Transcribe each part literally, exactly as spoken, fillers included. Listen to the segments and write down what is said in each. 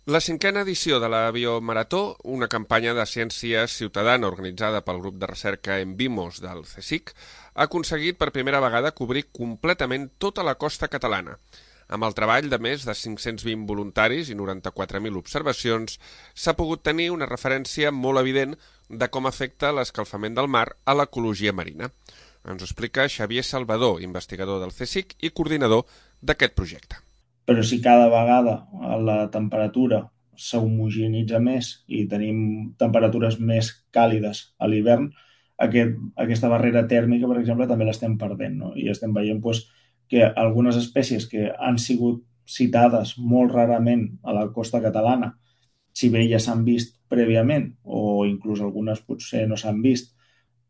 La cinquena edició de la Biomarató, una campanya de ciència ciutadana organitzada pel grup de recerca Envimos del CSIC, ha aconseguit per primera vegada cobrir completament tota la costa catalana. Amb el treball de més de cinc-cents vint voluntaris i noranta-quatre mil observacions, s'ha pogut tenir una referència molt evident de com afecta l'escalfament del mar a l'ecologia marina. Ens ho explica Xavier Salvador, investigador del CSIC i coordinador d'aquest projecte. Però si cada vegada la temperatura s'homogenitza més i tenim temperatures més càlides a l'hivern, aquest, aquesta barrera tèrmica, per exemple, també l'estem perdent, no? I estem veient doncs, que algunes espècies que han sigut citades molt rarament a la costa catalana, si bé ja s'han vist prèviament, o inclús algunes potser no s'han vist,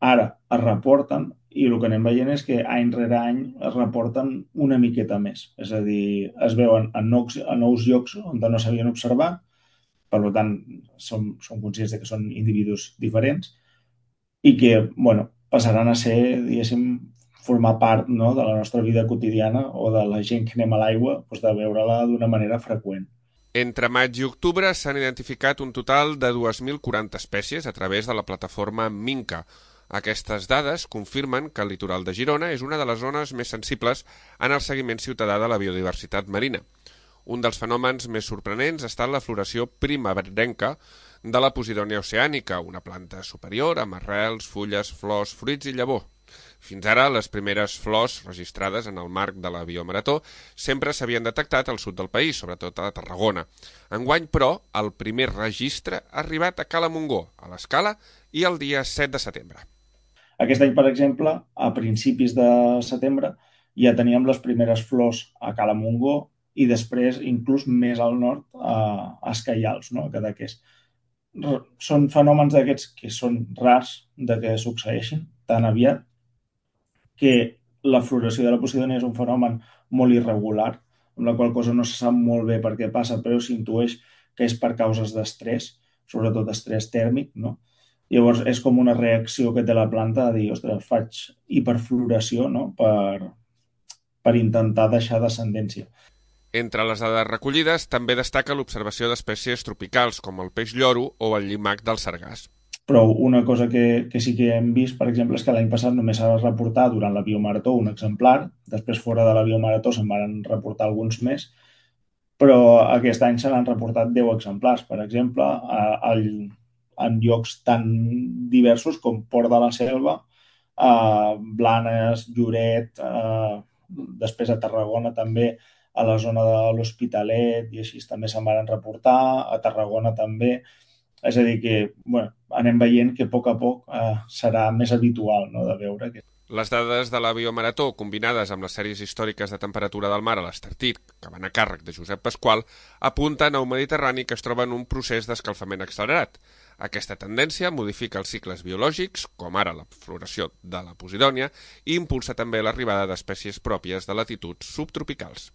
ara es reporten i el que anem veient és que any rere any es reporten una miqueta més. És a dir, es veuen a nous, a nous llocs on no s'havien observat, per tant, som, som conscients de que són individus diferents i que, bueno, passaran a ser, diguéssim, formar part, no, de la nostra vida quotidiana o de la gent que anem a l'aigua, doncs de veure-la d'una manera freqüent. Entre maig i octubre s'han identificat un total de dues mil quaranta espècies a través de la plataforma Minca. Aquestes dades confirmen que el litoral de Girona és una de les zones més sensibles en el seguiment ciutadà de la biodiversitat marina. Un dels fenòmens més sorprenents ha estat la floració primerenca de la Posidònia oceànica, una planta superior amb arrels, fulles, flors, fruits i llavor. Fins ara, les primeres flors registrades en el marc de la Biomarató sempre s'havien detectat al sud del país, sobretot a Tarragona. Enguany, però, el primer registre ha arribat a Cala Montgó, a l'Escala, i el dia set de setembre. Aquest any, per exemple, a principis de setembre, ja teníem les primeres flors a Cala Montgó i després, inclús més al nord, a Escaials, no? a Cadaqués. Són fenòmens d'aquests que són rars de que succeeixin tan aviat, que la floració de la Posidònia és un fenomen molt irregular, amb la qual cosa no se sap molt bé per què passa, però s'intueix que és per causes d'estrès, sobretot estrès tèrmic, no? Llavors és com una reacció que té la planta a dir, ostres, faig hiperfloració, no? per, per intentar deixar descendència. Entre les dades recollides també destaca l'observació d'espècies tropicals com el peix lloro o el llimac del sargàs. Però una cosa que, que sí que hem vist, per exemple, és que l'any passat només s'ha de reportar durant la Biomarató un exemplar, després fora de la Biomarató se'n van reportar alguns més, però aquest any se n'han reportat deu exemplars, per exemple, a, a, en llocs tan diversos com Port de la Selva, a Blanes, Lloret, a, després a Tarragona també, a la zona de l'Hospitalet, i així també se'n van reportar, a Tarragona també. És a dir que, bueno, anem veient que a poc a poc eh, serà més habitual, no?, de veure que... Les dades de la Biomarató, combinades amb les sèries històriques de temperatura del mar a l'Estartit, que van a càrrec de Josep Pasqual, apunten a un Mediterrani que es troba en un procés d'escalfament accelerat. Aquesta tendència modifica els cicles biològics, com ara la floració de la Posidònia, i impulsa també l'arribada d'espècies pròpies de latituds subtropicals.